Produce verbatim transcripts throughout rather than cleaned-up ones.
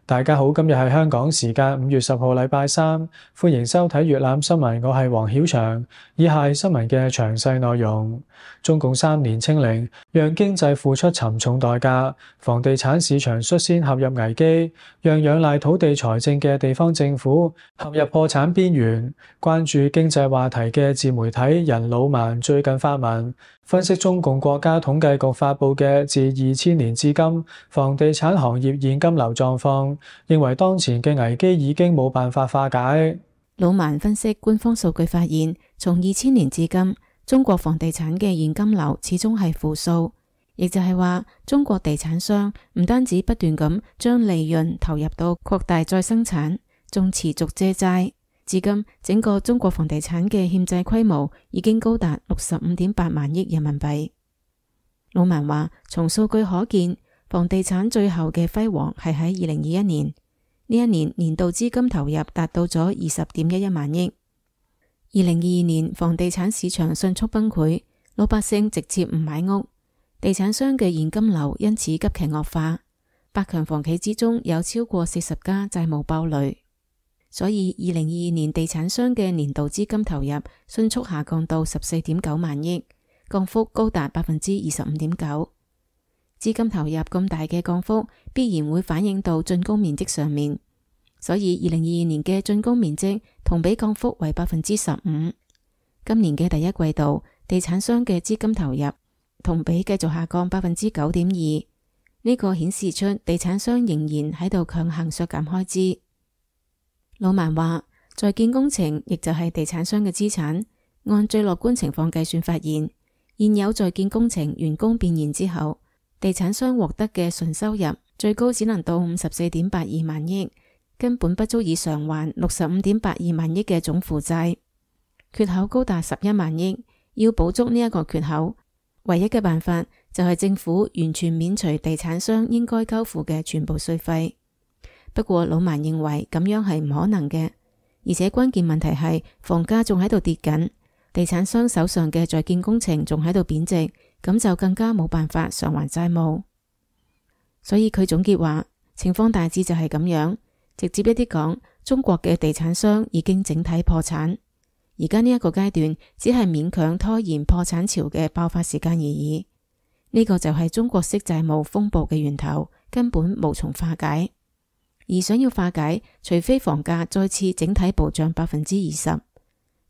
大家好，今日係香港時間五月十號禮拜三，歡迎收睇粵覽新聞，我係黃曉翔。以下係新聞嘅詳細內容。中共三年清零，讓經濟付出沉重代價，房地產市場率先陷入危機，讓仰賴土地財政嘅地方政府陷入破產邊緣。關注經濟話題嘅自媒體人老萬最近發文，分析中共國家統計局發布嘅自二千年至今房地產行業現金流狀況，認為當前嘅危機已經冇辦法化解。老萬分析官方數據發現，從二千年至今，中國房地產嘅現金流始終係負數，亦就係話中國地產商唔單止不斷咁將利潤投入到擴大再生產，仲持續借債。至今整個中國房地產嘅欠債規模已經高達六十五點八萬億人民幣。老萬話，從數據可見，房地產最後嘅輝煌係喺二零二一年，呢一年年度資金投入達到咗二十點一一萬億。二零二二年房地產市場迅速崩潰，老百姓直接唔買屋，地產商嘅現金流因此急劇惡化，百強房企之中有超過四十家債務爆雷。所以二零二二年地產商嘅年度資金投入迅速下降到十四點九萬億，降幅高達百分之二十五點九。資金投入咁大嘅降幅，必然會反映到竣工面積上面。所以二零二二年嘅竣工面積同比降幅為百分之十五。今年嘅第一季度，地產商嘅資金投入同比繼續下降百分之九點二。呢個顯示出地產商仍然喺度強行削減開支。老萬話，在建工程亦就係地產商嘅資產，按最樂觀情況計算發現，現有在建工程完工變現之後，地產商獲得嘅純收入最高只能到五十四點八二萬億，根本不足以償還六十五點八二萬億嘅總負債，缺口高達十一萬億。要補足呢一個缺口，唯一嘅辦法就係政府完全免除地產商應該交付嘅全部稅費。不過老萬認為咁樣係唔可能嘅，而且關鍵問題係房價仲喺度跌緊，地產商手上嘅在建工程仲喺度貶值，咁就更加冇辦法償還債務。所以佢總結話，情況大致就係咁樣。直接一啲講，中國嘅地產商已經整體破產，而家呢一個階段只係勉強拖延破產潮嘅爆發時間而已。呢個就係中國式債務風暴嘅源頭，根本無從化解。而想要化解，除非房價再次整體暴漲百分之二十，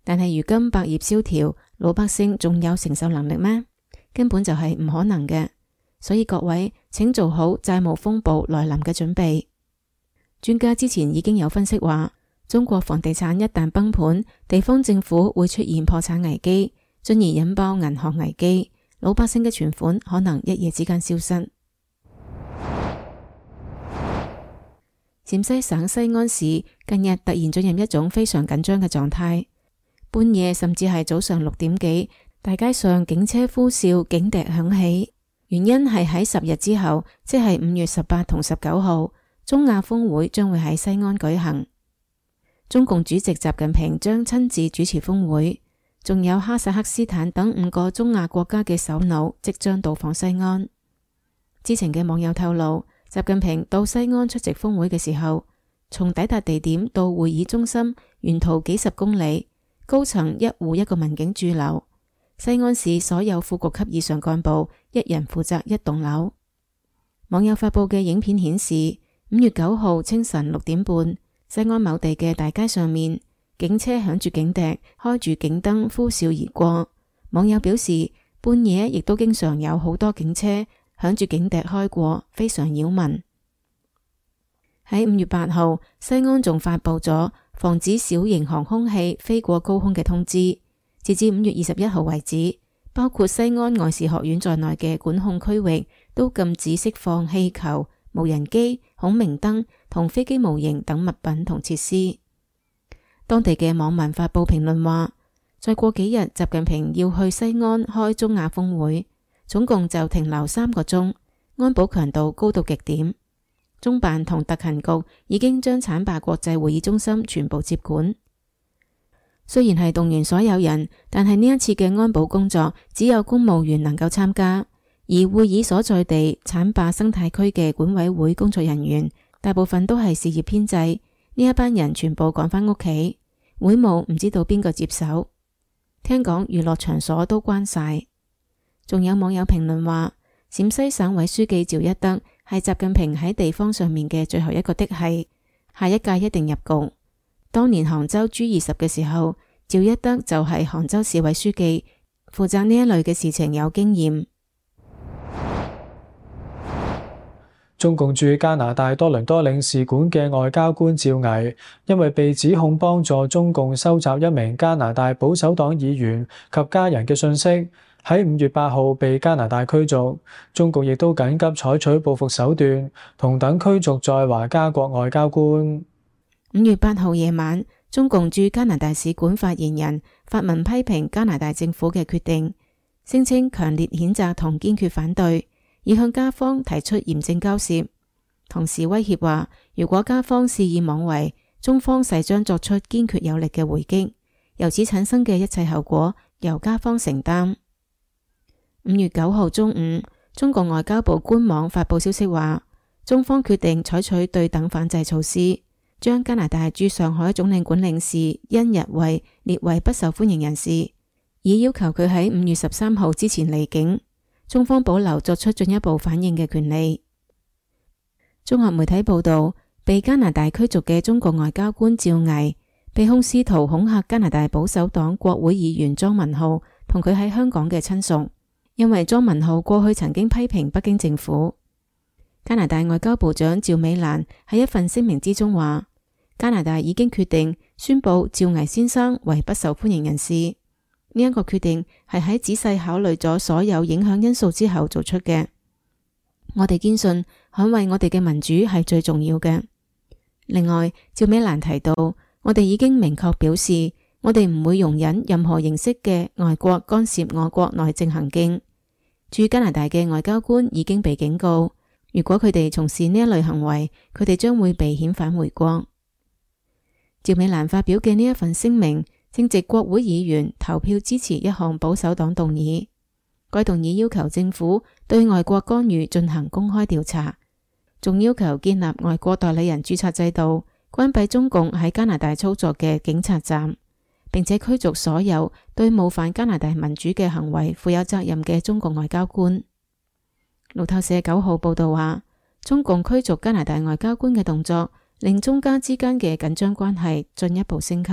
但係如今百業蕭條，老百姓仲有承受能力咩？根本就係唔可能嘅。所以各位，請做好債務風暴來臨嘅準備。專家之前已經有分析話，中國房地產一旦崩盤，地方政府會出現破產危機，進而引爆銀行危機，老百姓嘅存款可能一夜之間消失。陝西省西安市近日突然進入一種非常緊張嘅狀態，半夜甚至係早上六點幾，大街上警車呼嘯，警笛響起。原因係喺十日之後，即係五月十八同十九號，中亞峰會將會喺西安舉行。中共主席習近平將親自主持峰會，仲有哈薩克斯坦等五個中亞國家嘅首腦即將到訪西安。知情嘅網友透露，習近平到西安出席峰會嘅時候，從抵達地點到會議中心沿途幾十公里，高層一戶一個民警駐留。西安市所有副局級以上幹部一人負責一棟樓。網友發布嘅影片顯示，五月九號清晨六點半，西安某地嘅大街上面，警車響住警笛，開住警燈呼嘯而過。網友表示，半夜亦都經常有好多警車響住警笛開過，非常擾民。喺五月八號，西安仲發布咗防止小型航空器飛過高空嘅通知。截至五月二十一號為止，包括西安外事學院在內嘅管控區域都禁止釋放氣球、無人機、孔明燈同飛機模型等物品同設施。當地嘅網民發布評論話，再過幾日習近平要去西安開中亞峰會，總共就停留三個鐘，安保強度高到極點。中辦同特勤局已經將浐灞國際會議中心全部接管。雖然係動員所有人，但係呢一次嘅安保工作只有公務員能夠參加，而會議所在地浐灞生態區嘅管委會工作人員大部分都係事業編制，呢一班人全部趕返屋企，會務唔知道邊個接手。聽講娛樂場所都關晒。仲有網友評論話，陝西省委書記趙一德係習近平喺地方上面嘅最後一個的係，下一屆一定入局。當年杭州 G 二十嘅時候，趙一德就係杭州市委書記，負責呢一類嘅事情有經驗。中共駐加拿大多倫多領事館嘅外交官趙毅，因為被指控幫助中共收集一名加拿大保守黨議員及家人嘅信息，喺五月八號被加拿大驅逐。中共亦都緊急採取報復手段，同等驅逐在華加國外交官。五月八號夜晚，中共駐加拿大使館發言人發文批評加拿大政府嘅決定，聲稱強烈譴責同堅決反對，已向加方提出嚴正交涉，同時威脅話，如果加方肆意妄為，中方勢將作出堅決有力嘅回擊，由此產生嘅一切後果由加方承擔。五月九號中午，中國外交部官網發佈消息話，中方決定採取對等反制措施，將加拿大駐上海總領館領事甄逸慧列為不受歡迎人士，以要求佢喺五月十三號之前離境。中方保留作出進一步反應嘅權利。綜合媒體報道，被加拿大驅逐嘅中國外交官趙毅被控試圖恐嚇加拿大保守黨國會議員莊文浩同佢喺香港嘅親屬，因為莊文浩過去曾經批評北京政府。加拿大外交部長趙美蘭喺一份聲明之中話，加拿大已經決定宣布趙毅先生為不受歡迎人士。呢一個決定係喺仔細考慮咗所有影響因素之後做出嘅。我哋堅信捍衛我哋嘅民主係最重要嘅。另外，趙美蘭提到，我哋已經明確表示，我哋唔會容忍任何形式嘅外國干涉我國內政行徑。駐加拿大嘅外交官已經被警告，如果佢哋從事呢一類行為，佢哋將會被遣返回國。趙美蘭發表嘅呢一份聲明，正值國會議員投票支持一項保守黨動議，該動議要求政府對外國干預進行公開調查，仲要求建立外國代理人註冊制度，關閉中共喺加拿大操作嘅警察站，並且驅逐所有對冒犯加拿大民主嘅行為負有責任嘅中國外交官。路透社九號報道話，中共驅逐加拿大外交官嘅動作，令中加之間嘅緊張關係進一步升級。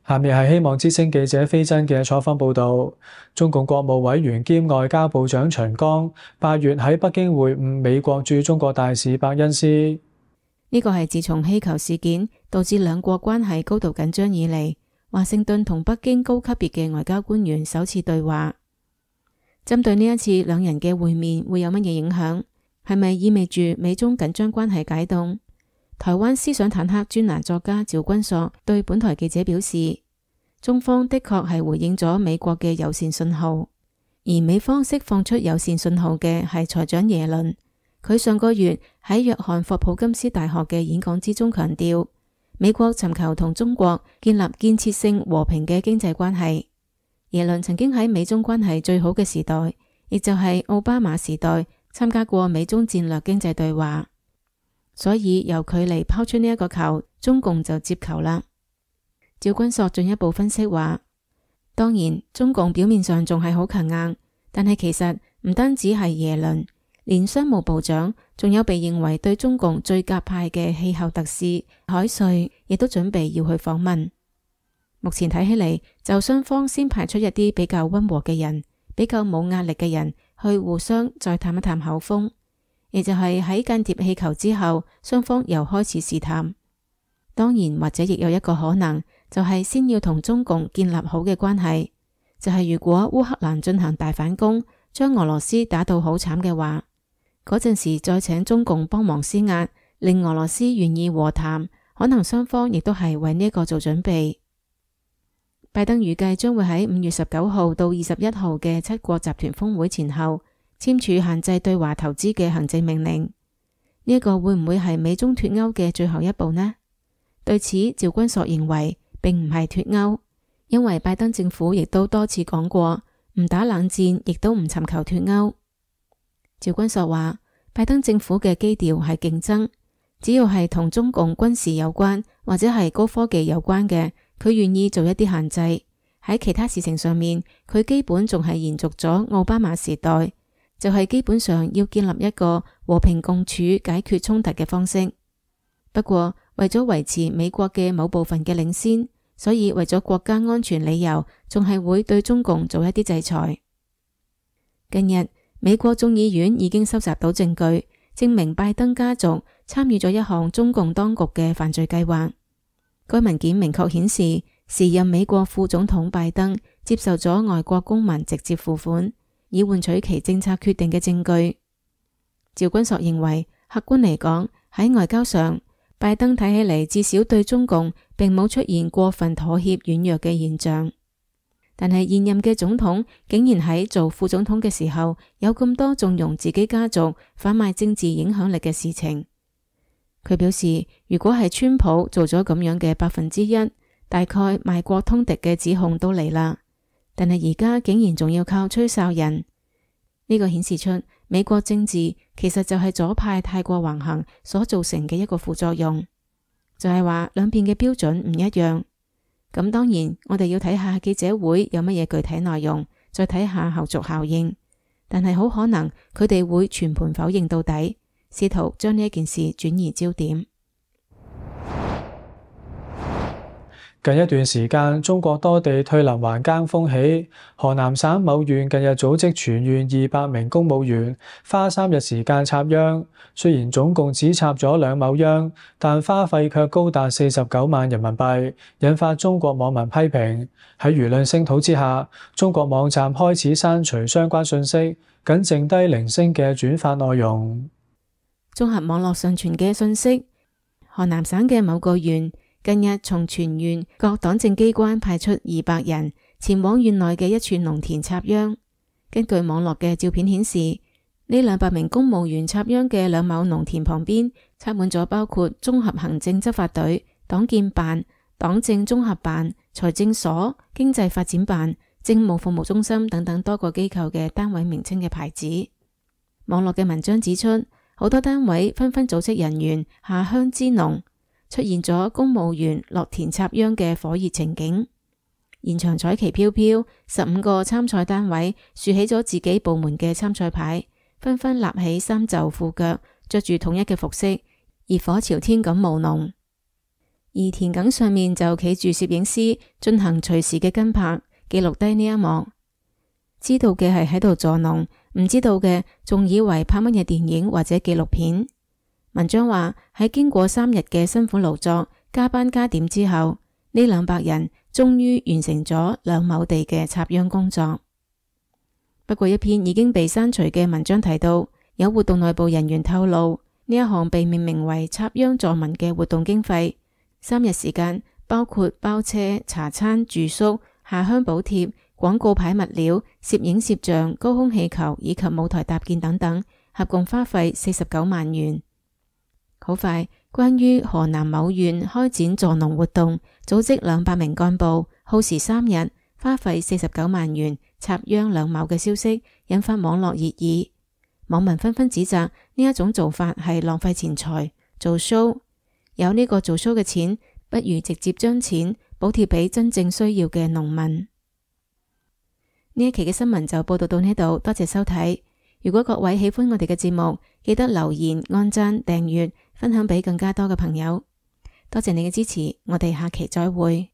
下面係希望之聲記者飛真嘅採訪報道。中共國務委員兼外交部長秦剛八月喺北京會晤美國駐中國大使伯恩斯。呢個係自從氣球事件導致兩國關係高度緊張以嚟，華盛頓同北京高級別嘅外交官員首次對話。針對呢一次兩人嘅會面會有乜嘢影響？係咪意味住美中緊張關係解凍？台灣思想坦克專欄作家趙君朔對本台記者表示，中方的確係回應咗美國嘅友善信號，而美方釋放出友善信號嘅係財長耶倫。佢上個月喺約翰霍普金斯大學嘅演講之中強調，美國尋求同中國建立建設性和平嘅經濟關係。耶倫曾經喺美中關係最好嘅時代，亦就係奧巴馬時代，參加過美中戰略經濟對話。所以由佢嚟拋出呢一個球，中共就接球啦。趙君朔進一步分析話，當然中共表面上仲係好強硬，但係其實唔單止係耶倫，連商務部長，仲有被認為對中共最鴿派嘅氣候特使海瑞，亦都準備要去訪問。目前睇起嚟，就雙方先派出一啲比較溫和嘅人，比較冇壓力嘅人去互相再探一探口風。亦就係喺間諜氣球之後，雙方又開始試探。當然，或者亦有一個可能，就係先要同中共建立好嘅關係。就係如果烏克蘭進行大反攻，將俄羅斯打到好慘嘅話，嗰陣時再請中共幫忙施壓，令俄羅斯願意和談，可能雙方亦都係為呢一個做準備。拜登預計將會喺五月十九號到二十一號嘅七國集團峰會前後簽署限制對華投資嘅行政命令，呢一個會唔會係美中脫鈎嘅最後一步呢？對此，趙君朔認為並唔係脫鈎，因為拜登政府亦都多次講過，唔打冷戰，亦都唔尋求脫歐。趙君碩話，拜登政府嘅基調係競爭，只要係同中共軍事有關或者係高科技有關嘅，佢願意做一啲限制。喺其他事情上面，佢基本仲係延續咗奧巴馬時代，就係基本上要建立一個和平共處解決衝突嘅方式。不過為咗維持美國嘅某部分嘅領先，所以為咗國家安全理由，仲係會對中共做一啲制裁。近日，美國眾議院已經收集到證據，證明拜登家族參與咗一項中共當局嘅犯罪計劃。該文件明確顯示，時任美國副總統拜登接受咗外國公民直接付款，以換取其政策決定嘅證據。趙君碩認為，客觀嚟講，喺外交上，拜登睇起嚟至少對中共並冇出現過分妥協軟弱嘅現象。但係現任嘅總統竟然喺做副總統嘅時候有咁多縱容自己家族販賣政治影響力嘅事情。佢表示，如果係川普做咗咁樣嘅百分之一，大概賣國通敵嘅指控都嚟啦。但係而家竟然仲要靠吹哨人，呢個顯示出美國政治其實就係左派太過橫行所造成嘅一個副作用，就係話兩邊嘅標準唔一樣。咁當然，我哋要睇下記者會有乜嘢具體內容，再睇下後續效應。但係好可能佢哋會全盤否認到底，試圖將呢一件事轉移焦點。近一段時間，中國多地退林還耕風起。河南省某縣近日組織全縣二百名公務員，花三日時間插秧。雖然總共只插咗兩畝秧，但花費卻高達四十九萬人民幣，引發中國網民批評。喺輿論聲討之下，中國網站開始刪除相關信息，僅剩低零星嘅轉發內容。綜合網絡上傳嘅信息，河南省嘅某個縣近日從全縣各黨政機關派出二百人前往縣內嘅一處農田插秧。根據網絡嘅照片顯示，呢兩百名公務員插秧嘅兩畝農田旁邊插滿咗包括綜合行政執法隊、黨建辦、黨政綜合辦、財政所、經濟發展辦、政務服務中心等等多個機構嘅單位名稱嘅牌子。網絡嘅文章指出，好多單位紛紛組織人員下鄉支農，出現咗公務員落田插秧嘅火熱情景。現場彩旗飄飄，十五個參賽單位豎起咗自己部門嘅參賽牌，紛紛立起衫袖褲腳，着住統一嘅服飾，熱火朝天咁務農。而田埂上面就企住攝影師進行隨時嘅跟拍，記錄低呢一幕。知道嘅係喺度助農，唔知道嘅仲以為拍乜嘢電影或者紀錄片。文章話喺經過三日嘅辛苦勞作、加班加點之後，呢兩百人終於完成咗兩畝地嘅插秧工作。不過一篇已經被刪除嘅文章提到，有活動內部人員透露，呢一項被命名為插秧助民嘅活動經費，三日時間包括包車、茶餐、住宿、下鄉補貼、廣告牌物料、攝影攝像、高空氣球以及舞台搭建等等，合共花費四十九萬元。好快，關於河南某縣開展助農活動，組織兩百名幹部，耗時三日，花費四十九萬元插秧兩畝嘅消息，引發網絡熱議。網民紛紛指責呢一種做法係浪費錢財，做 show。有呢個做 show 嘅錢，不如直接將錢補貼俾真正需要嘅農民。呢一期嘅新聞就報道到呢度，多謝收睇。如果各位喜歡我哋嘅節目，記得留言、按讚、訂閱、分享俾更加多嘅朋友。多謝你嘅支持，我哋下期再會。